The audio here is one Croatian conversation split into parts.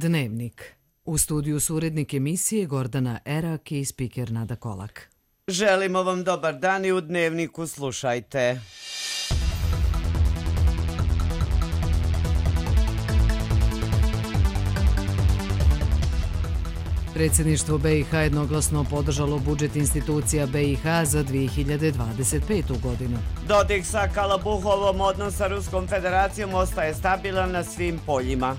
Dnevnik. U studiju su urednik emisije Gordana Erak i spiker Nada Kolak. Želimo vam dobar dan i u Dnevniku slušajte. Predsjedništvo BiH jednoglasno podržalo budžet institucija BiH za 2025. godinu. Dodik sa Kalabuhovom odnos sa Ruskom federacijom ostaje stabilan na svim poljima.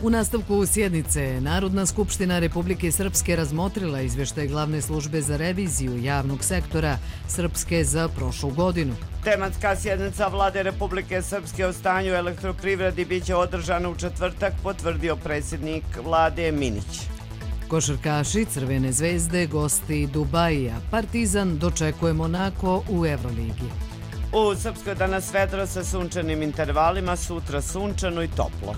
U nastavku sjednice Narodna skupština Republike Srpske razmotrila izvještaj Glavne službe za reviziju javnog sektora Srpske za prošlu godinu. Tematska sjednica Vlade Republike Srpske o stanju elektroprivredi biće održana u četvrtak, potvrdio predsjednik Vlade Minić. Košarkaši Crvene zvezde gosti Dubajija. Partizan dočekuje Monako u Evroligi. U Srpskoj danas vedro sa sunčanim intervalima, sutra sunčano i toplo.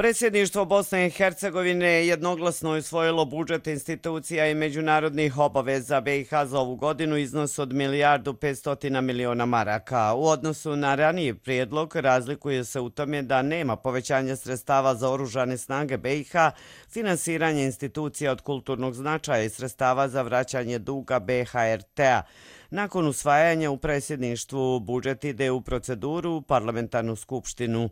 Predsjedništvo Bosne i Hercegovine jednoglasno je usvojilo budžet institucija i međunarodnih obaveza BiH za ovu godinu iznos od 1.500.000.000 maraka. U odnosu na raniji prijedlog razlikuje se u tome da nema povećanja sredstava za oružane snage BiH, finansiranje institucija od kulturnog značaja i sredstava za vraćanje duga BHRT-a. Nakon usvajanja u predsjedništvu budžet ide u proceduru u parlamentarnu skupštinu.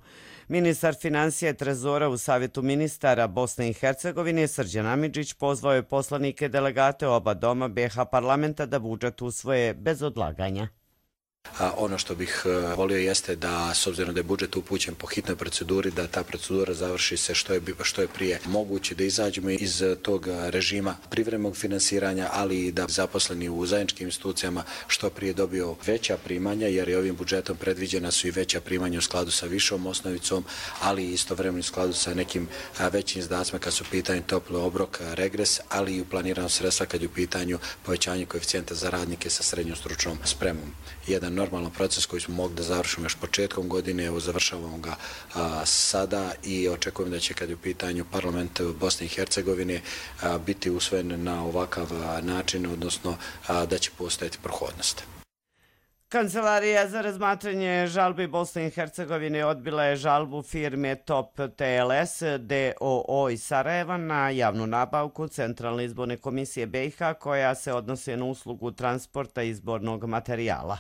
Ministar financija i trezora u Savjetu ministara Bosne i Hercegovine Srđan Amidžić pozvao je poslanike delegate oba doma BiH parlamenta da budžet usvoje bez odlaganja. Ono što bih volio jeste da, s obzirom da je budžet upućen po hitnoj proceduri, da ta procedura završi se što je prije moguće, da izađemo iz tog režima privremenog finansiranja, ali i da zaposleni u zajedničkim institucijama što prije dobiju veća primanja, jer je ovim budžetom predviđena su i veća primanja u skladu sa višom osnovicom, ali i istovremeno u skladu sa nekim većim izdacima kad su u pitanju topli obrok, regres, ali i uplanirano sredstva kad je u pitanju povećanje koeficijenta za radnike sa srednjom stručnom spremom. Jedan normalan proces koji smo mogli da završimo još početkom godine, evo završavamo ga sada i očekujem da će kad je u pitanju parlament Bosne i Hercegovine biti usvojen na ovakav način, odnosno da će postojati prohodnost. Kancelarija za razmatranje žalbi Bosne i Hercegovine odbila je žalbu firme Top TLS DOO iz Sarajeva na javnu nabavku Centralne izborne komisije BiH koja se odnosi na uslugu transporta izbornog materijala.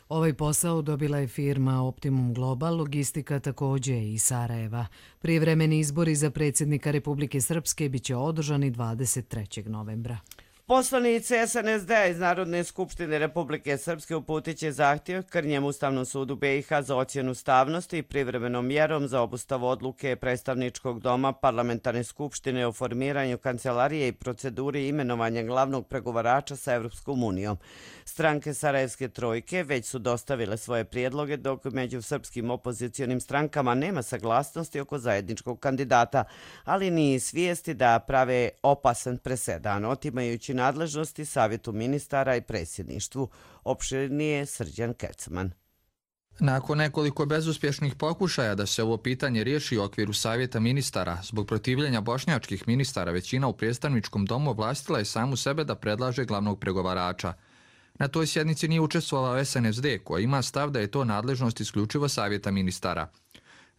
Ovaj posao dobila je firma Optimum Global, logistika također iz Sarajeva. Prijevremeni izbori za predsjednika Republike Srpske biće održani 23. novembra. Poslanici SNSD iz Narodne skupštine Republike Srpske uputit će zahtjev Krnjem Ustavnom sudu BiH za ocjenu ustavnosti i privremenom mjerom za obustavu odluke predstavničkog doma Parlamentarne skupštine o formiranju kancelarije i proceduri imenovanja glavnog pregovarača sa Evropskom unijom. Stranke Sarajevske trojke već su dostavile svoje prijedloge, dok među srpskim opozicionim strankama nema saglasnosti oko zajedničkog kandidata, ali ni svijesti da prave opasan presedan, otimajući nadležnosti Savjetu ministara i predsjedništvu. Opširnije Srđan Kecman. Nakon nekoliko bezuspješnih pokušaja da se ovo pitanje riješi u okviru Savjeta ministara, zbog protivljenja bošnjačkih ministara, većina u predstavničkom domu ovlastila je samu sebe da predlaže glavnog pregovarača. Na toj sjednici nije učestvovao SNSD, koja ima stav da je to nadležnost isključivo Savjeta ministara.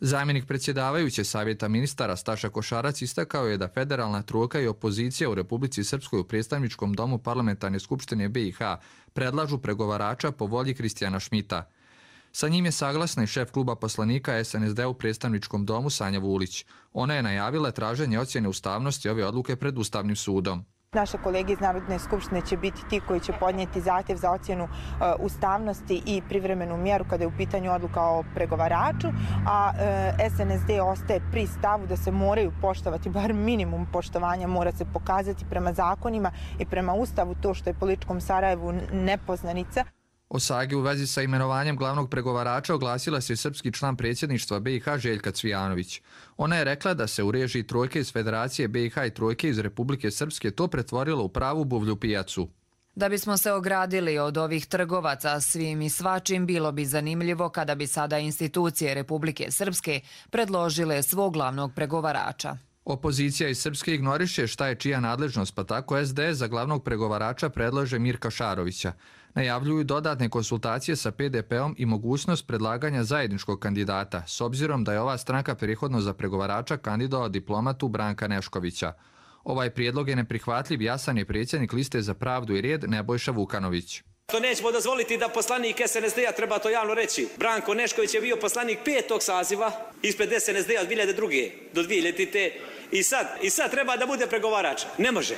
Zamjenik predsjedavajuće Savjeta ministara Staša Košarac istakao je da federalna trojka i opozicija u Republici Srpskoj u predstavničkom domu Parlamentarne skupštine BiH predlažu pregovarača po volji Kristijana Šmita. Sa njim je saglasna i šef kluba poslanika SNSD u predstavničkom domu Sanja Vulić. Ona je najavila traženje ocjene ustavnosti ove odluke pred Ustavnim sudom. Naše kolege iz Narodne skupštine će biti ti koji će podnijeti zahtjev za ocjenu ustavnosti i privremenu mjeru kada je u pitanju odluka o pregovaraču, a SNSD ostaje pri stavu da se moraju poštovati, bar minimum poštovanja mora se pokazati prema zakonima i prema Ustavu, to što je političkom Sarajevu nepoznanica. O sagi u vezi sa imenovanjem glavnog pregovarača oglasila se srpski član predsjedništva BiH Željka Cvijanović. Ona je rekla da se u režiji trojke iz Federacije BiH i trojke iz Republike Srpske to pretvorilo u pravu buvlju pijacu. Da bismo se ogradili od ovih trgovaca svim i svačim, bilo bi zanimljivo kada bi sada institucije Republike Srpske predložile svog glavnog pregovarača. Opozicija iz Srpske ignoriše šta je čija nadležnost, pa tako SDS za glavnog pregovarača predlaže Mirka Šarovića. Najavljuju dodatne konsultacije sa PDP-om i mogućnost predlaganja zajedničkog kandidata, s obzirom da je ova stranka prethodno za pregovarača kandidovao diplomatu Branka Neškovića. Ovaj prijedlog je neprihvatljiv, jasan je predsjednik liste za pravdu i red Nebojša Vukanović. To nećemo dozvoliti da poslanik SNSD-a, treba to javno reći. Branko Nešković je bio poslanik 5. saziva ispred SNSD-a od 2002. do 2000. I sad treba da bude pregovarač. Ne može.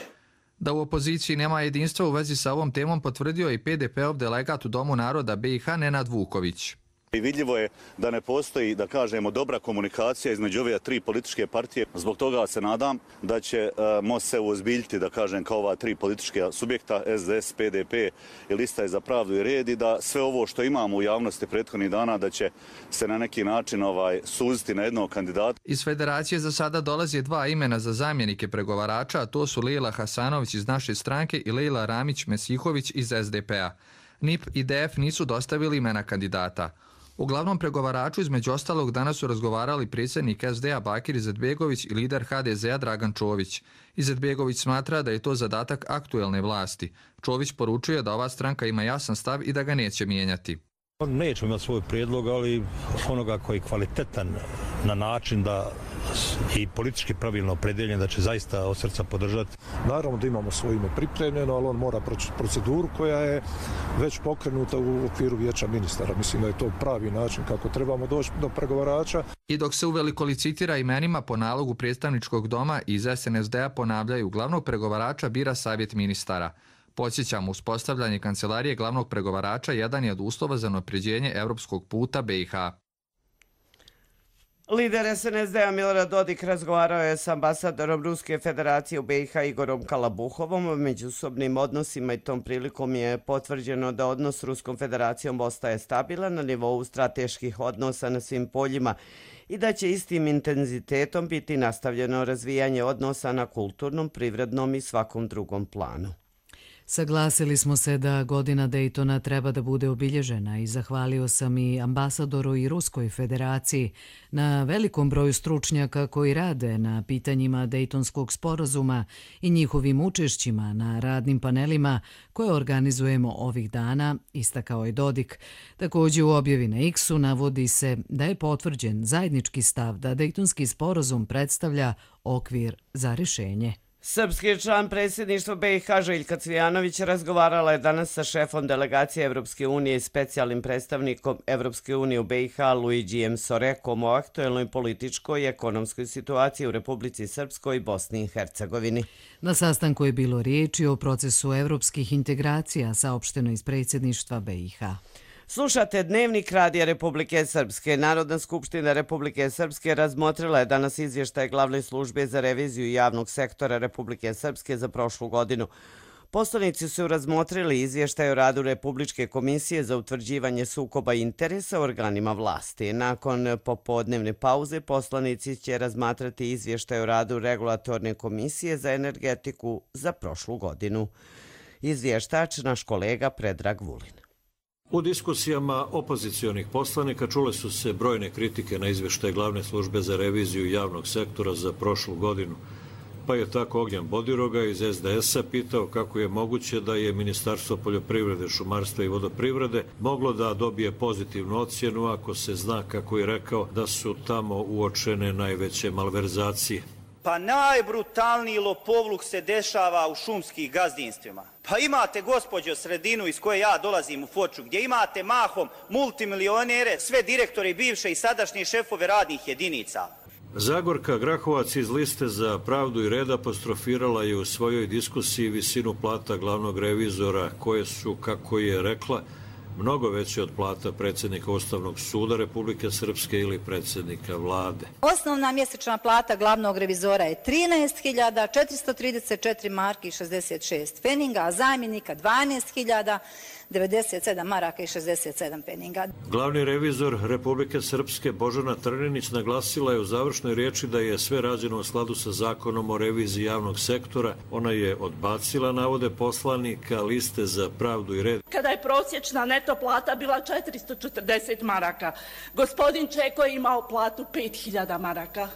Da u opoziciji nema jedinstva u vezi sa ovom temom potvrdio je i PDP-ov delegat u Domu naroda BiH Nenad Vuković. I vidljivo je da ne postoji, da kažemo, dobra komunikacija između ove tri političke partije. Zbog toga se nadam da će MOST se uozbiljiti, da kažem, kao ova tri političke subjekta, SDS, PDP i Lista je za pravdu i red, i da sve ovo što imamo u javnosti prethodnih dana, da će se na neki način suziti na jednog kandidata. Iz federacije za sada dolaze dva imena za zamjenike pregovarača, a to su Lejla Hasanović iz naše stranke i Lejla Ramić-Mesihović iz SDP-a. NIP i DF nisu dostavili imena kandidata. U glavnom pregovaraču između ostalog danas su razgovarali predsjednik SD-a Bakir Izetbegović i lider HDZ-a Dragan Čović. Izetbegović smatra da je to zadatak aktuelne vlasti. Čović poručuje da ova stranka ima jasan stav i da ga neće mijenjati. Nećemo imati svoj prijedlog, ali onoga koji je kvalitetan na način da i politički pravilno opredeljen, da će zaista od srca podržati. Naravno da imamo svoje ime pripremljeno, ali on mora proći proceduru koja je već pokrenuta u okviru vijeća ministara. Mislim da je to pravi način kako trebamo doći do pregovarača. I dok se uveliko licitira imenima, po nalogu predstavničkog doma iz SNSD-a ponavljaju, glavnog pregovarača bira savjet ministara. Podsjećamo, uspostavljanje kancelarije glavnog pregovarača jedan je od uslova za unapređenje evropskog puta BiH. Lider SNSD-a Milorad Dodik razgovarao je s ambasadorom Ruske federacije u BiH Igorom Kalabuhovom o međusobnim odnosima i tom prilikom je potvrđeno da odnos s Ruskom federacijom ostaje stabilan na nivou strateških odnosa na svim poljima i da će istim intenzitetom biti nastavljeno razvijanje odnosa na kulturnom, privrednom i svakom drugom planu. Saglasili smo se da godina Dejtona treba da bude obilježena i zahvalio sam i ambasadoru i Ruskoj federaciji na velikom broju stručnjaka koji rade na pitanjima Dejtonskog sporazuma i njihovim učešćima na radnim panelima koje organizujemo ovih dana, istakao je Dodik. Također u objavi na X-u navodi se da je potvrđen zajednički stav da Dejtonski sporazum predstavlja okvir za rješenje. Srpski član predsjedništva BiH Željka Cvijanović razgovarala je danas sa šefom delegacije Evropske unije i specijalnim predstavnikom Evropske unije u BiH Luigijem Sorekom o aktuelnoj političkoj i ekonomskoj situaciji u Republici Srpskoj i Bosni i Hercegovini. Na sastanku je bilo riječi o procesu evropskih integracija, saopšteno iz predsjedništva BiH. Slušate Dnevnik Radija Republike Srpske. Narodna skupština Republike Srpske razmotrila je danas izvještaj Glavne službe za reviziju javnog sektora Republike Srpske za prošlu godinu. Poslanici su razmotrili izvještaj o radu Republičke komisije za utvrđivanje sukoba interesa u organima vlasti. Nakon popodnevne pauze poslanici će razmatrati izvještaj o radu Regulatorne komisije za energetiku za prošlu godinu. Izvještač naš kolega Predrag Vulin. U diskusijama opozicionih poslanika čule su se brojne kritike na izvještaj Glavne službe za reviziju javnog sektora za prošlu godinu. Pa je tako Ognjan Bodiroga iz SDS-a pitao kako je moguće da je Ministarstvo poljoprivrede, šumarstva i vodoprivrede moglo da dobije pozitivnu ocjenu ako se zna, kako je rekao, da su tamo uočene najveće malverzacije. Pa najbrutalniji lopovluk se dešava u šumskih gazdinstvima. Pa imate, gospođo, sredinu iz koje ja dolazim u Foču, gdje imate mahom multimilionere, sve direktori bivše i sadašnje šefove radnih jedinica. Zagorka Grahovac iz Liste za pravdu i red apostrofirala je u svojoj diskusiji visinu plata glavnog revizora, koje su, kako je rekla, mnogo veće od plata predsjednika Ustavnog suda Republike Srpske ili predsjednika vlade. Osnovna mjesečna plata glavnog revizora je 13.434 marki i 66 peninga, a zamjenika 12.097 maraka i 67 peninga. Glavni revizor Republike Srpske Božana Trninić naglasila je u završnoj riječi da je sve rađeno u skladu sa zakonom o reviziji javnog sektora. Ona je odbacila navode poslanika Liste za pravdu i red. Kada je prosječna neto plata bila 440 maraka, gospodin Čeko je imao platu 5.000 maraka.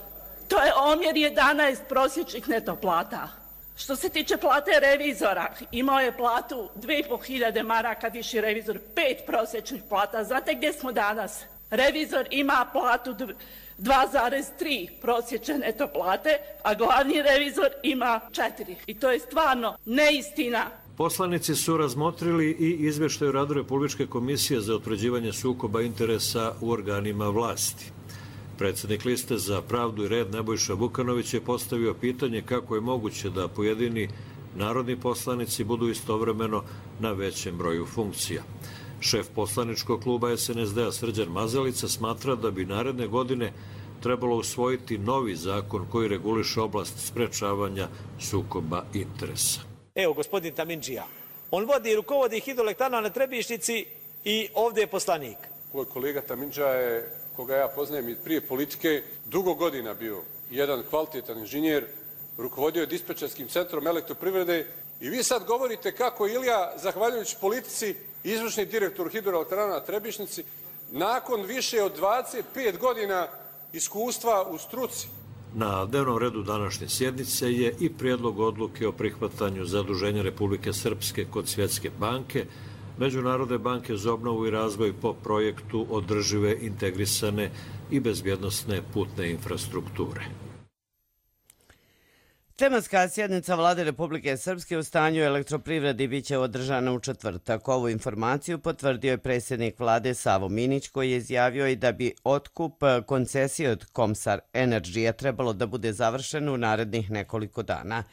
To je omjer 11 prosječnih neto plata. Što se tiče plate revizora, imao je platu 2.500 maraka, viši revizor 5 prosječnih plata. Znate gdje smo danas? Revizor ima platu 2,3 prosječne neto plate, a glavni revizor ima 4. I to je stvarno neistina. Poslanici su razmotrili i izvještaj o radu Republičke komisije za utvrđivanje sukoba interesa u organima vlasti. Predsjednik Liste za pravdu i red Nebojša Vukanović je postavio pitanje kako je moguće da pojedini narodni poslanici budu istovremeno na većem broju funkcija. Šef poslaničkog kluba SNSD-a Srđan Mazalica smatra da bi naredne godine trebalo usvojiti novi zakon koji reguliše oblast sprečavanja sukoba interesa. Evo, gospodin Tamindžija, on vodi i rukovodi hidroelektrana na Trebišnjici i ovdje je poslanik. Moj kolega Tamindžija je, koga ja poznajem i prije politike, dugo godina bio jedan kvalitetan inženjer, rukovodio je dispečerskim centrom elektroprivrede i vi sad govorite kako Ilija, zahvaljujući politici, izvršni direktor hidroelektrana na Trebišnjici, nakon više od 25 godina iskustva u struci. Na dnevnom redu današnje sjednice je i prijedlog odluke o prihvatanju zaduženja Republike Srpske kod Svjetske banke, Međunarodne banke za obnovu i razvoj po projektu održive, integrisane i bezbjednosne putne infrastrukture. Tematska sjednica Vlade Republike Srpske u stanju elektroprivredi biće održana u četvrtak. Ovu informaciju potvrdio je predsjednik vlade Savo Minić, koji je izjavio i da bi otkup koncesije od Komsar Energy trebalo da bude završen u narednih nekoliko dana.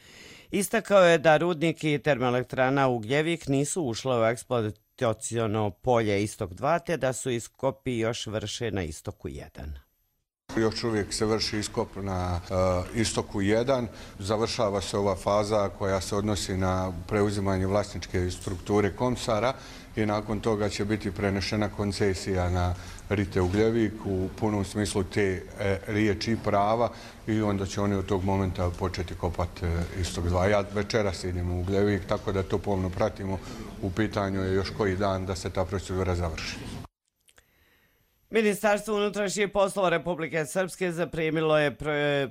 Istakao je da rudnik i termoelektrana Ugljevik nisu ušle u eksploataciono polje Istok 2, te da su iskopi još vrše na Istoku 1. Još uvijek se vrši iskop na Istoku 1. Završava se ova faza koja se odnosi na preuzimanje vlasničke strukture Komsara i nakon toga će biti prenešena koncesija na Rite Ugljevik u punom smislu te riječi prava i onda će oni od tog momenta početi kopati Istok 2. Ja večeras idem u Ugljevik, tako da to pomno pratimo. U pitanju je još koji dan da se ta procedura završi. Ministarstvo unutrašnjih poslova Republike Srpske zaprimilo je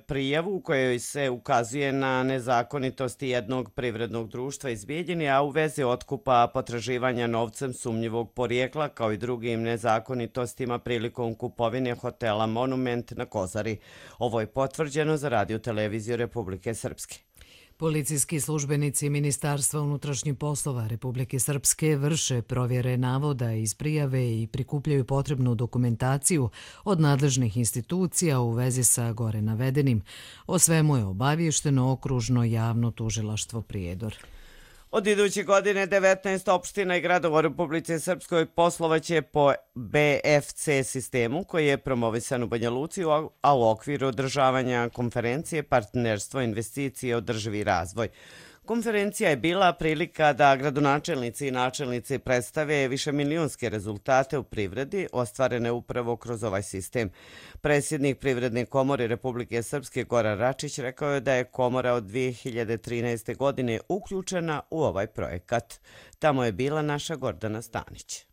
prijavu u kojoj se ukazuje na nezakonitosti jednog privrednog društva iz Bijeljine, a u vezi otkupa potraživanja novcem sumnjivog porijekla, kao i drugim nezakonitostima prilikom kupovine hotela Monument na Kozari. Ovo je potvrđeno za Radio televiziju Republike Srpske. Policijski službenici Ministarstva unutrašnjih poslova Republike Srpske vrše provjere navoda iz prijave i prikupljaju potrebnu dokumentaciju od nadležnih institucija u vezi sa gore navedenim. O svemu je obavješteno okružno javno tužilaštvo Prijedor. Od iduće godine 19 opština i gradova u Republici Srpskoj poslovaće po BFC sistemu koji je promovisan u Banja Luci, a u okviru održavanja konferencije Partnerstvo, investicije i održivi razvoj. Konferencija je bila prilika da gradonačelnici i načelnici predstave višemilijonske rezultate u privredi ostvarene upravo kroz ovaj sistem. Predsjednik Privredne komore Republike Srpske Goran Račić rekao je da je komora od 2013. godine uključena u ovaj projekat. Tamo je bila naša Gordana Stanić.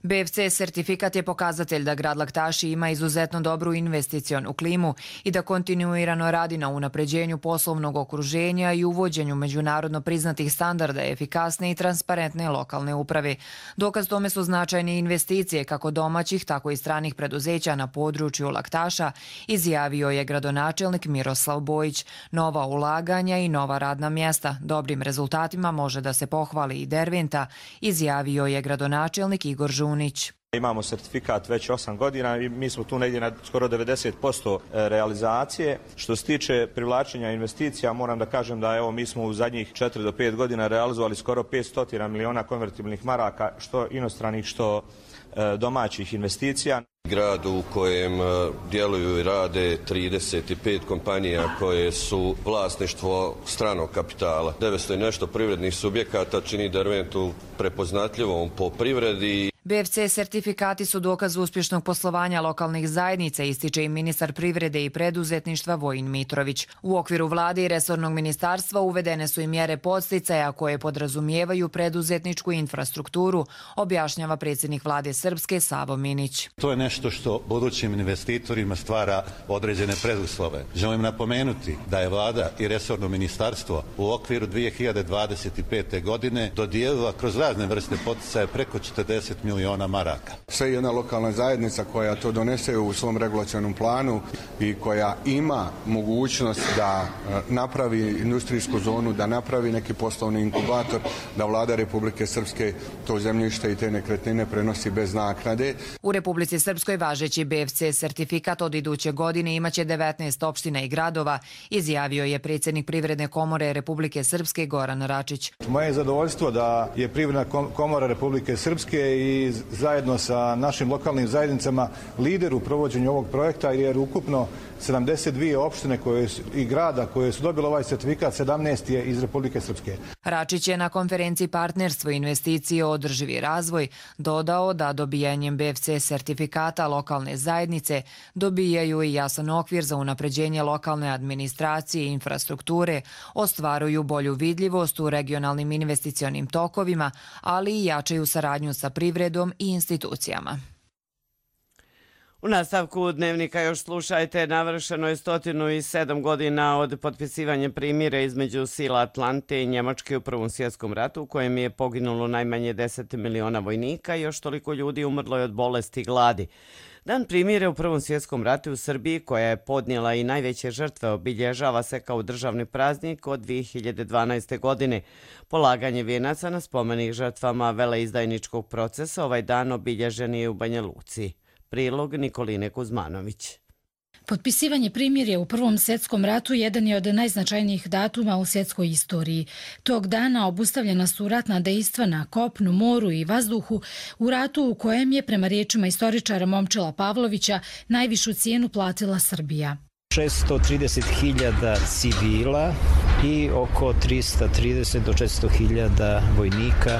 BFC sertifikat je pokazatelj da grad Laktaši ima izuzetno dobru investicionu klimu i da kontinuirano radi na unapređenju poslovnog okruženja i uvođenju međunarodno priznatih standarda efikasne i transparentne lokalne uprave. Dokaz tome su značajne investicije kako domaćih, tako i stranih preduzeća na području Laktaša, izjavio je gradonačelnik Miroslav Bojić. Nova ulaganja i nova radna mjesta. Dobrim rezultatima može da se pohvali i Derventa, izjavio je gradonačelnik Igor Žunić. Imamo sertifikat već 8 godina i mi smo tu negdje na skoro 90% realizacije. Što se tiče privlačenja investicija, moram da kažem da evo mi smo u zadnjih 4 do 5 godina realizovali skoro 500 miliona konvertibilnih maraka, što inostranih, što domaćih investicija. Grad u kojem djeluju i rade 35 kompanija koje su vlasništvo stranog kapitala. 900 i nešto privrednih subjekata čini Derventu prepoznatljivom po privredi. BFC sertifikati su dokaz uspješnog poslovanja lokalnih zajednica, ističe i ministar privrede i preduzetništva Vojin Mitrović. U okviru vlade i resornog ministarstva uvedene su i mjere podsticaja koje podrazumijevaju preduzetničku infrastrukturu, objašnjava predsjednik vlade Srpske Savo Minić. To je nešto što budućim investitorima stvara određene preduslove. Želim napomenuti da je vlada i resorno ministarstvo u okviru 2025. godine dodijelila kroz razne vrste poticaja preko 40 miliona maraka. Sve jedna lokalna zajednica koja to donese u svom regulacionom planu i koja ima mogućnost da napravi industrijsku zonu, da napravi neki poslovni inkubator, da vlada Republike Srpske to zemljište i te nekretnine prenosi bez naknade. U Republici Srpskoj važeći BFC sertifikat od iduće godine imaće 19 opština i gradova, izjavio je predsjednik Privredne komore Republike Srpske Goran Račić. Moje je zadovoljstvo da je Privredna komora Republike Srpske i zajedno sa našim lokalnim zajednicama lider u provođenju ovog projekta, jer ukupno 72 opštine i grada koje su dobile ovaj sertifikat, 17 je iz Republike Srpske. Račić je na konferenciji Partnerstvo i investicije o održivi razvoj dodao da dobijanjem BFC sertifikata lokalne zajednice dobijaju i jasan okvir za unapređenje lokalne administracije i infrastrukture, ostvaruju bolju vidljivost u regionalnim investicionim tokovima, ali i jačaju saradnju sa privredom i institucijama. U nastavku Dnevnika još slušajte, navršeno je 107 godina od potpisivanja primira između sila Atlante i Njemačke u Prvom svjetskom ratu, u kojem je poginulo najmanje 10 miliona vojnika i još toliko ljudi umrlo je od bolesti i gladi. Dan primire u Prvom svjetskom ratu u Srbiji, koja je podnijela i najveće žrtve, obilježava se kao državni praznik od 2012. godine. Polaganje vijenaca na spomenik žrtvama veleizdajničkog procesa ovaj dan obilježen je u Banja Luci. Prilog Nikoline Kuzmanović. Potpisivanje primirja u Prvom svjetskom ratu jedan je od najznačajnijih datuma u svjetskoj istoriji. Tog dana obustavljena su ratna dejstva na kopnu, moru i vazduhu u ratu u kojem je, prema riječima istoričara Momčila Pavlovića, najvišu cijenu platila Srbija. 630.000 civila i oko 330 do 400.000 vojnika.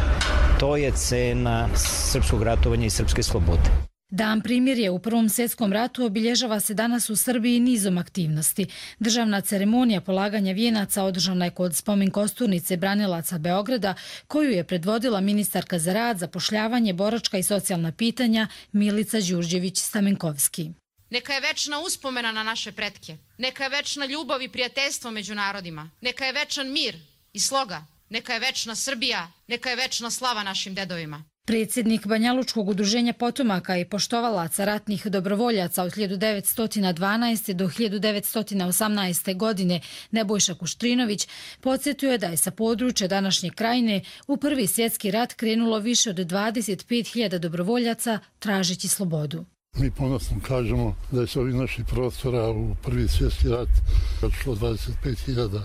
To je cena srpskog ratovanja i srpske slobode. Dan primirja u Prvom svjetskom ratu obilježava se danas u Srbiji nizom aktivnosti. Državna ceremonija polaganja vijenaca održana je kod spomen kosturnice branilaca Beograda, koju je predvodila ministarka za rad, zapošljavanje, boračka i socijalna pitanja Milica Đurđević-Stamenkovski. Neka je večna uspomena na naše pretke. Neka je večna ljubav i prijateljstvo među narodima. Neka je večan mir i sloga. Neka je večna Srbija. Neka je večna slava našim dedovima. Predsjednik Banjalučkog udruženja potomaka i poštovalaca ratnih dobrovoljaca od 1912. do 1918. godine Nebojša Kuštrinović podsjetio je da je sa područja današnje Krajine u Prvi svjetski rat krenulo više od 25.000 dobrovoljaca tražeći slobodu. Mi ponosno kažemo da je s ovih naših prostora u Prvi svjetski rat odšlo 25.000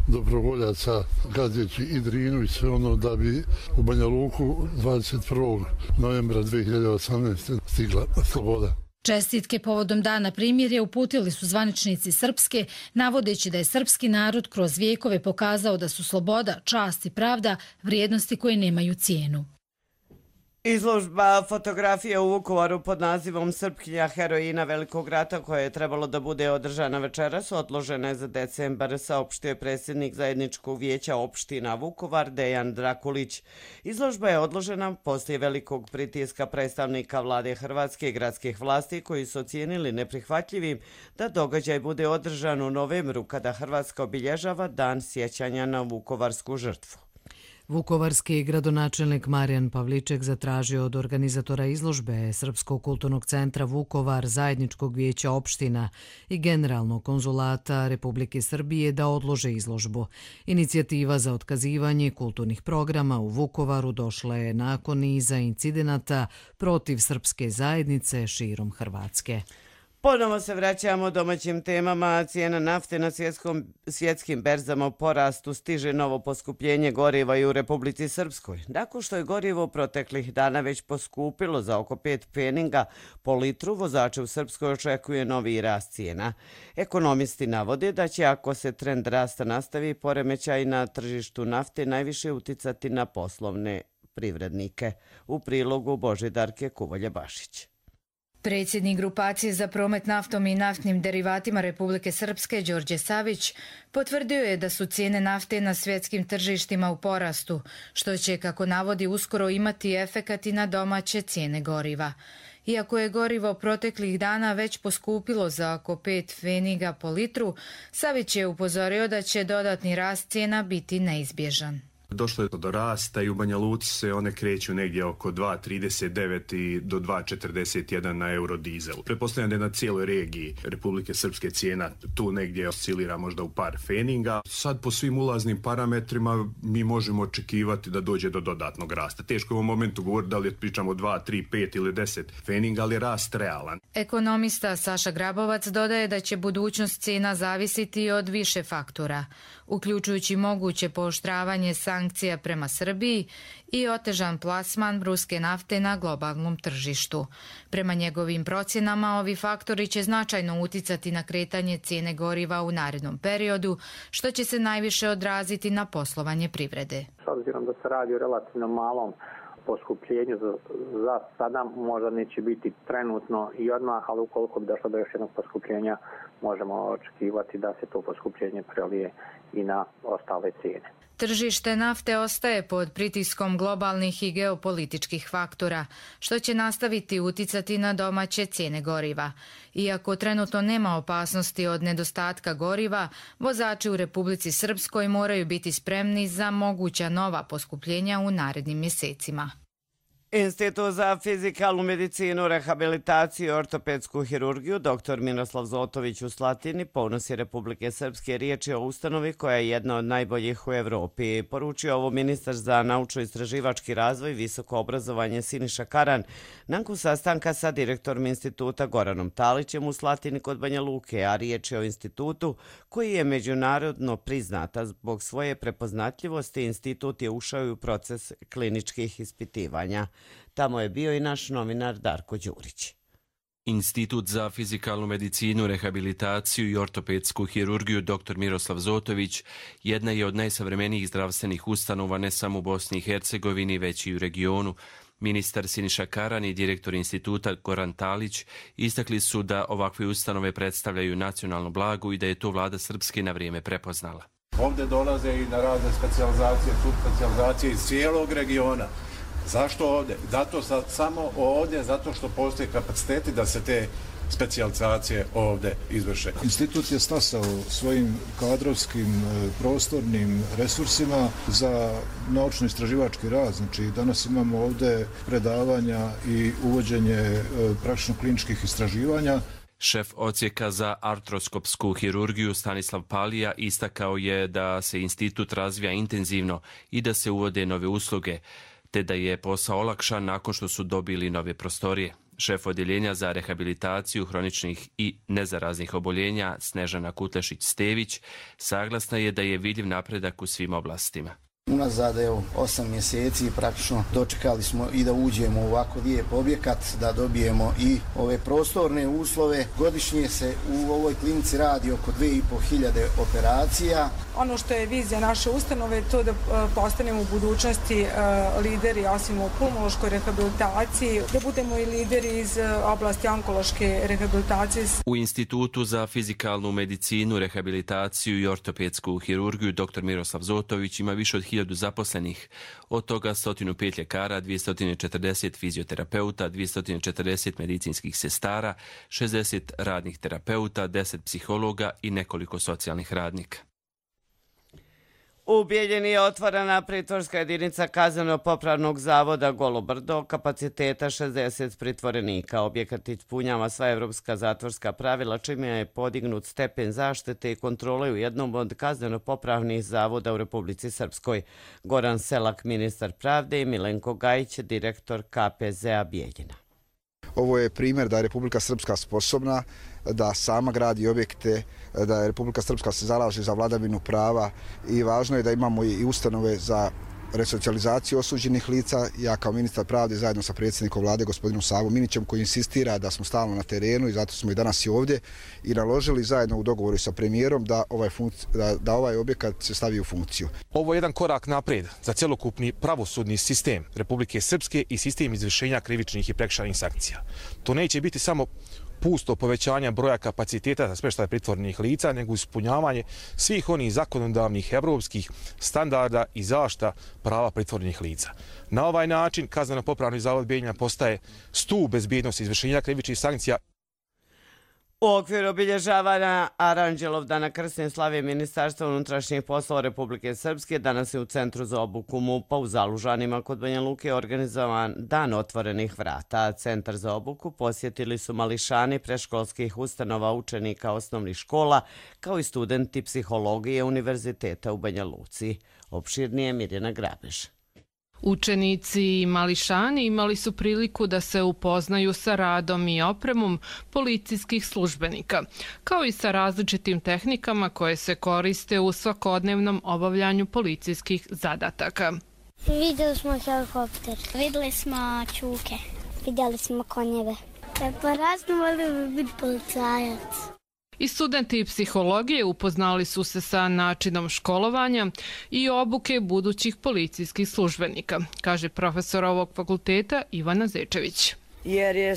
dobrovoljaca gazeći i Drinu i sve ono da bi u Banja Luku 21. novembra 2018. stigla sloboda. Čestitke povodom dana primirja uputili su zvaničnici Srpske, navodeći da je srpski narod kroz vijekove pokazao da su sloboda, čast i pravda vrijednosti koje nemaju cijenu. Izložba fotografija u Vukovaru pod nazivom Srpkinja heroina Velikog rata, koja je trebalo da bude održana večeras, odložena je za decembar, saopštio predsjednik Zajedničkog vijeća opština Vukovar Dejan Drakulić. Izložba je odložena poslije velikog pritiska predstavnika vlade Hrvatske i gradskih vlasti, koji su ocijenili neprihvatljivim da događaj bude održan u novembru, kada Hrvatska obilježava Dan sjećanja na vukovarsku žrtvu. Vukovarski gradonačelnik Marijan Pavliček zatražio od organizatora izložbe Srpskog kulturnog centra Vukovar, Zajedničkog vijeća opština i Generalnog konzulata Republike Srbije da odlože izložbu. Inicijativa za otkazivanje kulturnih programa u Vukovaru došla je nakon niza incidenata protiv srpske zajednice širom Hrvatske. Ponovo se vraćamo domaćim temama. Cijena nafte na svjetskim berzama u porastu, stiže novo poskupljenje goriva i u Republici Srpskoj. Nakon što je gorivo proteklih dana već poskupilo za oko 5 pfeninga po litru, vozače u Srpskoj očekuje novi rast cijena. Ekonomisti navode da će, ako se trend rasta nastavi, poremećaj na tržištu nafte najviše uticati na poslovne privrednike. U prilogu Božidarke Kuvolje-Bašić. Predsjednik grupacije za promet naftom i naftnim derivatima Republike Srpske, Đorđe Savić, potvrdio je da su cijene nafte na svjetskim tržištima u porastu, što će, kako navodi, uskoro imati efekat i na domaće cijene goriva. Iako je gorivo proteklih dana već poskupilo za oko 5 pfeniga po litru, Savić je upozorio da će dodatni rast cijena biti neizbježan. Došlo je do rasta i u Banja Luci se one kreću negdje oko 2,39 i do 2,41 na eurodizelu. Pretpostavljam da je na cijeloj regiji Republike Srpske cijena tu negdje oscilira možda u par feninga. Sad po svim ulaznim parametrima mi možemo očekivati da dođe do dodatnog rasta. Teško je u ovom momentu govoriti da li pričamo 2, 3, 5 ili 10 feninga, ali je rast realan. Ekonomista Saša Grabovac dodaje da će budućnost cijena zavisiti od više faktora, uključujući moguće pooštravanje sankcija prema Srbiji i otežan plasman ruske nafte na globalnom tržištu. Prema njegovim procjenama, ovi faktori će značajno uticati na kretanje cijene goriva u narednom periodu, što će se najviše odraziti na poslovanje privrede. S obzirom da se radi o relativno malom poskupljenju za sada, možda neće biti trenutno i odmah, ali ukoliko bi došlo do još jednog poskupljenja, možemo očekivati da se to poskupljenje prelije i na ostale cijene. Tržište nafte ostaje pod pritiskom globalnih i geopolitičkih faktora, što će nastaviti uticati na domaće cijene goriva. Iako trenutno nema opasnosti od nedostatka goriva, vozači u Republici Srpskoj moraju biti spremni za moguća nova poskupljenja u narednim mjesecima. Institut za fizikalnu medicinu, rehabilitaciju i ortopedsku hirurgiju dr. Miroslav Zotović u Slatini, ponos je Republike Srpske, riječ je o ustanovi koja je jedna od najboljih u Evropi. Poručio ovo ministar za naučno-istraživački razvoj i visoko obrazovanje Siniša Karan nakon sastanka sa direktorom instituta Goranom Talićem u Slatini kod Banja Luke, a riječ je o institutu koji je međunarodno priznata zbog svoje prepoznatljivosti. Institut je ušao u proces kliničkih ispitivanja. Tamo je bio i naš novinar Darko Đurić. Institut za fizikalnu medicinu, rehabilitaciju i ortopedsku hirurgiju dr. Miroslav Zotović jedna je od najsavremenijih zdravstvenih ustanova ne samo u Bosni i Hercegovini, već i u regionu. Ministar Siniša Karan i direktor instituta Goran Talić istakli su da ovakve ustanove predstavljaju nacionalno blago i da je to vlada Srpske na vrijeme prepoznala. Ovdje dolaze i na razne specijalizacije, subspecijalizacije iz cijelog regiona. Zašto ovdje? Samo ovdje, zato što postoje kapaciteti da se te specijalizacije ovdje izvrše. Institut je stasao svojim kadrovskim prostornim resursima za naučno-istraživački rad. Znači, danas imamo ovdje predavanja i uvođenje praktično-kliničkih istraživanja. Šef odsjeka za artroskopsku hirurgiju Stanislav Palija istakao je da se institut razvija intenzivno i da se uvode nove usluge, te da je posao olakšan nakon što su dobili nove prostorije. Šef odjeljenja za rehabilitaciju hroničnih i nezaraznih oboljenja Snežana Kutlešić-Stević saglasna je da je vidljiv napredak u svim oblastima. Unazad 8 mjeseci praktično dočekali smo i da uđemo u ovako lijep objekat, da dobijemo i ove prostorne uslove. Godišnje se u ovoj klinici radi oko 2500 operacija. Ono što je vizija naše ustanove je to da postanemo u budućnosti lideri, osim u pulmološkoj rehabilitaciji, da budemo i lideri iz oblasti onkološke rehabilitacije. U Institutu za fizikalnu medicinu, rehabilitaciju i ortopedsku hirurgiju dr. Miroslav Zotović ima više od 1000 zaposlenih, od toga 105 ljekara, 240 fizioterapeuta, 240 medicinskih sestara, 60 radnih terapeuta, 10 psihologa i nekoliko socijalnih radnika. U Bijeljini je otvorena pritvorska jedinica Kazneno-popravnog zavoda Golo Brdo, kapaciteta 60 pritvorenika. Objekat ispunjava sva evropska zatvorska pravila, čime je podignut stepen zaštite i kontrole u jednom od kazneno-popravnih zavoda u Republici Srpskoj. Goran Selak, ministar pravde, i Milenko Gajić, direktor KPZ-a Bijeljina. Ovo je primjer da je Republika Srpska sposobna da sama gradi objekte, da je Republika Srpska se zalaže za vladavinu prava i važno je da imamo i ustanove za resocijalizaciju osuđenih lica. Ja kao ministar pravde zajedno sa predsjednikom vlade gospodinom Savom Minićem koji insistira da smo stalno na terenu i zato smo i danas i ovdje i naložili zajedno u dogovoru sa premijerom da ovaj objekat se stavi u funkciju. Ovo je jedan korak naprijed za cjelokupni pravosudni sistem Republike Srpske i sistem izvršenja krivičnih i prekršajnih sankcija. To neće biti samo pusto povećanja broja kapaciteta za smještaj pritvorenih lica, nego ispunjavanje svih onih zakonodavnih evropskih standarda i zaštita prava pritvorenih lica. Na ovaj način Kazneno-popravni zavod Bijeljina postaje stup bezbjednosti izvršenja krivičnih sankcija. U okviru obilježavanja Aranđelovdana krsne slave Ministarstva unutrašnjih poslova Republike Srpske danas je u Centru za obuku MUP-a u Zalužanima kod Banja Luke organizovan Dan otvorenih vrata. Centar za obuku posjetili su mališani predškolskih ustanova učenika osnovnih škola kao i studenti psihologije Univerziteta u Banja Luci. Opširnije Mirjana Grabež. Učenici i mališani imali su priliku da se upoznaju sa radom i opremom policijskih službenika, kao i sa različitim tehnikama koje se koriste u svakodnevnom obavljanju policijskih zadataka. Vidjeli smo helikopter, vidjeli smo čuke, vidjeli smo konjeve. Pa razno volio bi biti policajac. I studenti psihologije upoznali su se sa načinom školovanja i obuke budućih policijskih službenika, kaže profesor ovog fakulteta Ivana Zečević. Jer je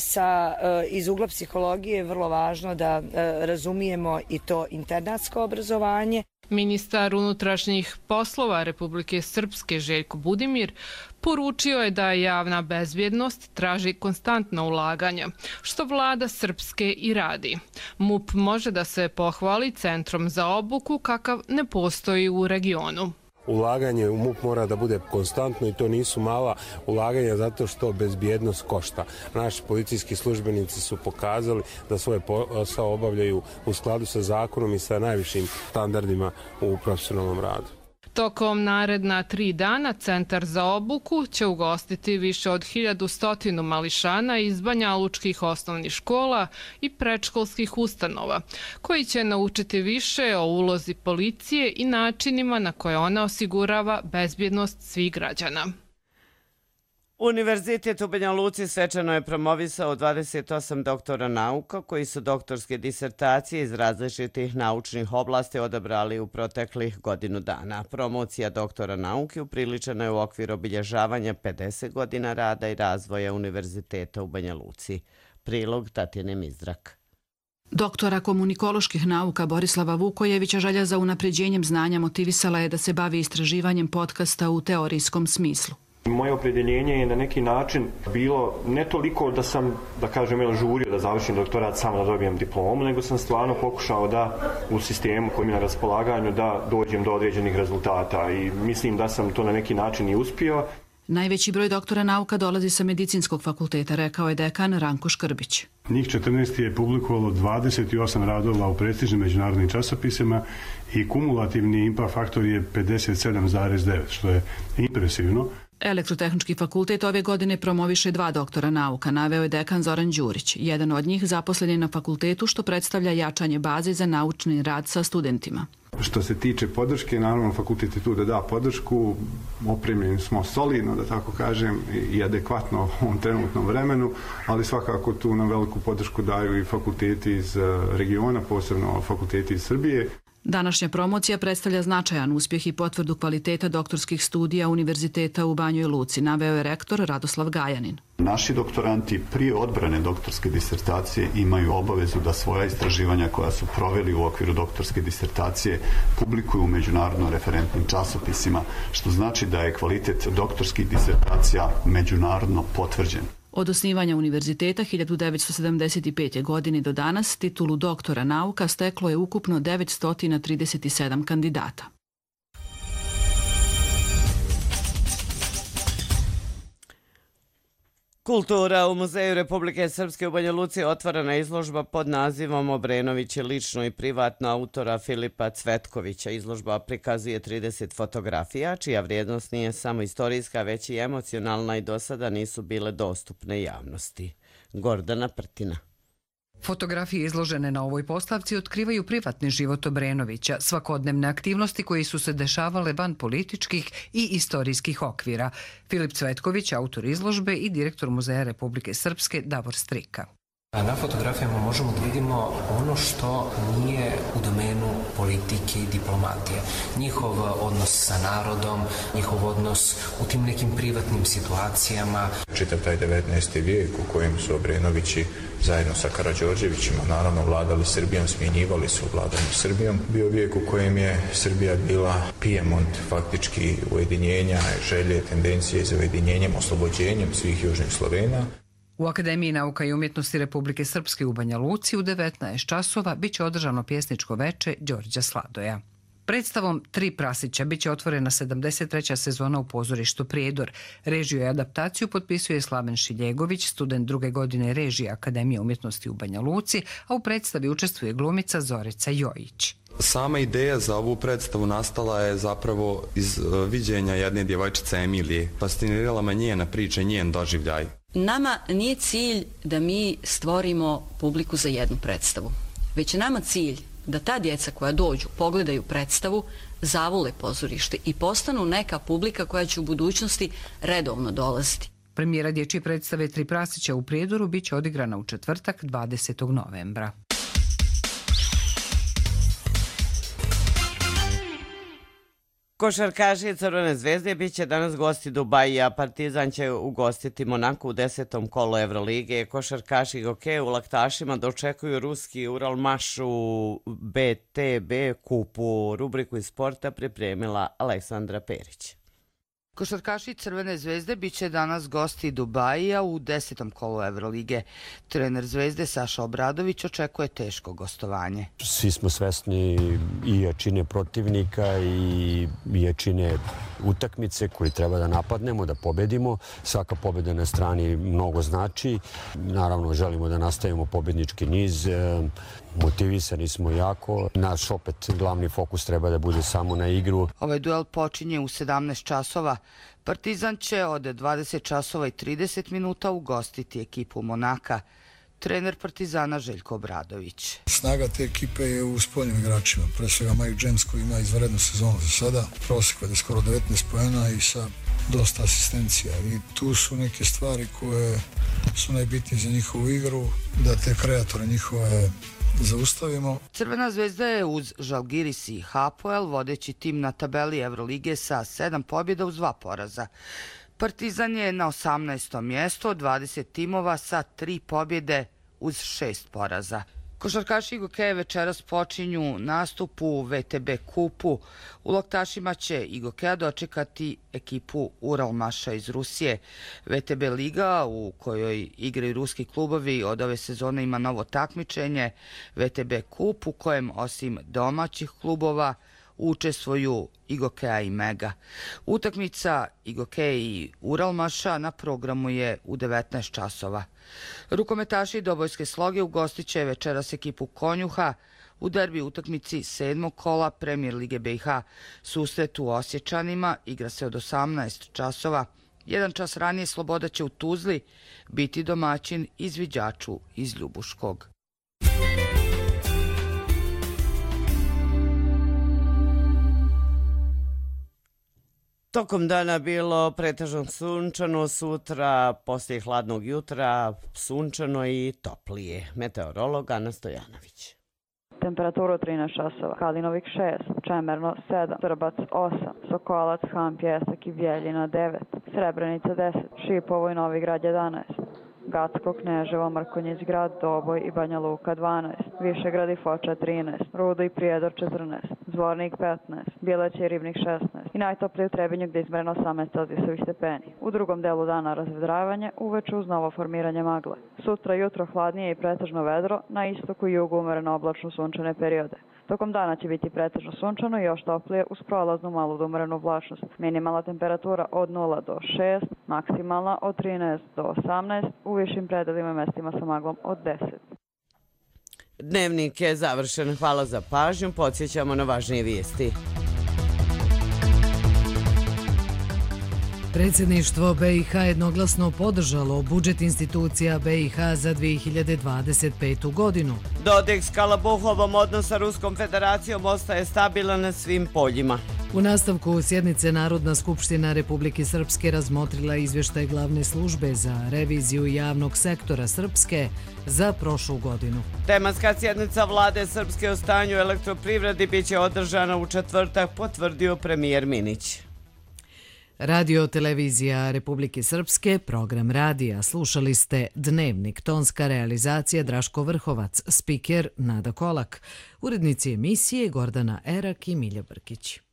iz ugla psihologije vrlo važno da razumijemo i to internatsko obrazovanje. Ministar unutrašnjih poslova Republike Srpske Željko Budimir poručio je da javna bezbjednost traži konstantno ulaganja, što vlada Srpske i radi. MUP može da se pohvali centrom za obuku kakav ne postoji u regionu. Ulaganje u MUP mora da bude konstantno i to nisu mala ulaganja zato što bezbjednost košta. Naši policijski službenici su pokazali da svoje posao obavljaju u skladu sa zakonom i sa najvišim standardima u profesionalnom radu. Tokom naredna 3 dana Centar za obuku će ugostiti više od 1100 mališana iz banjalučkih osnovnih škola i predškolskih ustanova, koji će naučiti više o ulozi policije i načinima na koje ona osigurava bezbjednost svih građana. Univerzitet u Banja Luci svečano je promovisao 28 doktora nauka koji su doktorske disertacije iz različitih naučnih oblasti odabrali u proteklih godinu dana. Promocija doktora nauke upriličena je u okviru obilježavanja 50 godina rada i razvoja Univerziteta u Banja Luci. Prilog Tatjane Mizdrak. Doktora komunikoloških nauka Borislava Vukojevića želja za unapređenjem znanja motivisala je da se bavi istraživanjem podcasta u teorijskom smislu. Moje opredjeljenje je na neki način bilo ne toliko da sam, da kažem, žurio da završim doktorat samo da dobijem diplomu, nego sam stvarno pokušao da u sistemu koji mi je na raspolaganju da dođem do određenih rezultata i mislim da sam to na neki način i uspio. Najveći broj doktora nauka dolazi sa medicinskog fakulteta, rekao je dekan Ranko Škrbić. Njih 14 je publikovalo 28 radova u prestižnim međunarodnim časopisima i kumulativni impact faktor je 57,9, što je impresivno. Elektrotehnički fakultet ove godine promoviše 2 doktora nauka, naveo je dekan Zoran Đurić. Jedan od njih zaposlen je na fakultetu, što predstavlja jačanje baze za naučni rad sa studentima. Što se tiče podrške, naravno fakultet je tu da da podršku, opremljeni smo solidno, da tako kažem, i adekvatno u ovom trenutnom vremenu, ali svakako tu nam veliku podršku daju i fakulteti iz regiona, posebno fakulteti iz Srbije. Današnja promocija predstavlja značajan uspjeh i potvrdu kvaliteta doktorskih studija Univerziteta u Banjoj Luci, naveo je rektor Radoslav Gajanin. Naši doktoranti prije odbrane doktorske disertacije imaju obavezu da svoja istraživanja koja su proveli u okviru doktorske disertacije publikuju u međunarodno referentnim časopisima, što znači da je kvalitet doktorskih disertacija međunarodno potvrđen. Od osnivanja univerziteta 1975. godine do danas titulu doktora nauka steklo je ukupno 937 kandidata. Kultura u Muzeju Republike Srpske u Banja Luci otvorena izložba pod nazivom Obrenović je lično i privatno autora Filipa Cvetkovića. Izložba prikazuje 30 fotografija, čija vrijednost nije samo istorijska, već i emocionalna i do sada nisu bile dostupne javnosti. Gordana Prtina. Fotografije izložene na ovoj postavci otkrivaju privatni život Obrenovića, svakodnevne aktivnosti koji su se dešavale van političkih i istorijskih okvira. Filip Cvetković, autor izložbe i direktor Muzeja Republike Srpske Davor Strika. Na fotografijama možemo da vidimo ono što nije u domenu politike i diplomatije. Njihov odnos sa narodom, njihov odnos u tim nekim privatnim situacijama. Čitav taj 19. vijek u kojem su Obrenovići zajedno sa Karađorđevićima naravno vladali Srbijom, smjenjivali su vladanju Srbijom. Bio vijek u kojem je Srbija bila pijemont faktički ujedinjenja, želje, tendencije za ujedinjenjem, oslobođenjem svih južnih Slovena. U Akademiji nauka i umjetnosti Republike Srpske u Banja Luci u 19 časova biće održano pjesničko veče Đorđa Sladoja. Predstavom Tri prasića biće otvorena 73. sezona u pozorištu Prijedor. Režiju i adaptaciju potpisuje Slaven Šiljegović, student 2. godine režije Akademije umjetnosti u Banja Luci, a u predstavi učestvuje glumica Zorica Jojić. Sama ideja za ovu predstavu nastala je zapravo iz viđenja jedne djevojčice Emilije. Fascinirala me njena priča, njen doživljaj. Nama nije cilj da mi stvorimo publiku za jednu predstavu, već je nama cilj da ta djeca koja dođu, pogledaju predstavu, zavole pozorište i postanu neka publika koja će u budućnosti redovno dolaziti. Premijera dječje predstave Tri prasića u Prijedoru biće odigrana u četvrtak 20. novembra. Košarkaši Crvene zvezde bit će danas gosti Dubaija. Partizan će ugostiti Monaku u 10. kolu Evrolige. Košarkaši Gokeja u Laktašima dočekuju ruski Uralmaš u BTB kupu. Rubriku iz sporta pripremila Aleksandra Perić. Košarkaši Crvene zvezde bit će danas gosti Dubaija u 10. kolu Evrolige. Trener Zvezde Saša Obradović očekuje teško gostovanje. Svi smo svesni i jačine protivnika i jačine utakmice koju treba da napadnemo, da pobedimo. Svaka pobjeda na strani mnogo znači. Naravno, želimo da nastavimo pobjednički niz. Motivisani smo jako. Naš opet glavni fokus treba da bude samo na igru. Ovaj duel počinje u 17 časova. Partizan će od 20 časova i 30 minuta ugostiti ekipu Monaka. Trener Partizana Željko Obradović. Snaga te ekipe je u spoljnim igračima. Pre svega Mike James koji ima izvanrednu sezonu za sada. Prosjek je skoro 19 poena i sa dosta asistencija. I tu su neke stvari koje su najbitnije za njihovu igru, da te kreatore njihove zaustavimo. Crvena zvezda je uz Žalgiris i Hapoel vodeći tim na tabeli Evrolige sa 7 pobjeda uz 2 poraza. Partizan je na 18. mjestu od 20 timova sa 3 pobjede uz 6 poraza. Košarkaši Gokeja večeras počinju nastup u VTB kupu. U Laktašima će i Gokeja dočekati ekipu Uralmaša iz Rusije. VTB liga u kojoj igraju ruski klubovi od ove sezone ima novo takmičenje. VTB kup u kojem osim domaćih klubova učestvuju i Gokeja i Mega. Utakmica i Gokeja i Uralmaša na programu je u 19 časova. Rukometaši Dobojske Sloge ugostit će večeras ekipu Konjuha u derbi utakmici 7. kola Premijer Lige BiH. Susret u Osječanima igra se od 18 časova. Jedan čas ranije Sloboda će u Tuzli biti domaćin izviđaču iz Ljubuškog. Tokom dana bilo pretežno sunčano, sutra poslije hladnog jutra sunčano i toplije. Meteorolog Ana Stojanović. Temperaturu 13 časova, Kalinovik 6, Čemerno 7, Srbac 8, Sokolac, Han, Pjesak i Bjeljina 9, Srebrenica 10, Šipovo i Novi Grad 11, Gacko, Kneževo, Mrkonjić grad, Doboj i Banja Luka 12, Višegrad i Foča 13, Rudo i Prijedor 14, Zvornik 15, Bileć i Ribnik 16 i najtoplije u Trebinju gdje je izmjereno 18 celzijusovih stepeni. U drugom delu dana razvedravanje, uveče uz novo formiranje magle. Sutra jutro hladnije i pretežno vedro, na istoku i jugu umereno oblačno sunčane periode. Tokom dana će biti pretežno sunčano i još toplije uz prolaznu malu do umerenu oblačnost. Minimalna temperatura od 0 do 6, maksimalna od 13 do 18, u višim predelima mestima sa maglom od 10. Dnevnik je završen. Hvala za pažnju. Podsjećamo na važnije vijesti. Predsjedništvo BiH jednoglasno podržalo budžet institucija BiH za 2025. godinu. Dodik s Kalabuhovom odnos sa Ruskom federacijom ostaje stabilan na svim poljima. U nastavku sjednice Narodna skupština Republike Srpske razmotrila izvještaj glavne službe za reviziju javnog sektora Srpske za prošlu godinu. Tematska sjednica vlade Srpske o stanju elektroprivredi biće održana u četvrtak, potvrdio premijer Minić. Radio televizija Republike Srpske, program radija. Slušali ste Dnevnik, tonska realizacija Draško Vrhovac, spiker Nada Kolak, urednici emisije Gordana Erak i Milja Brkić.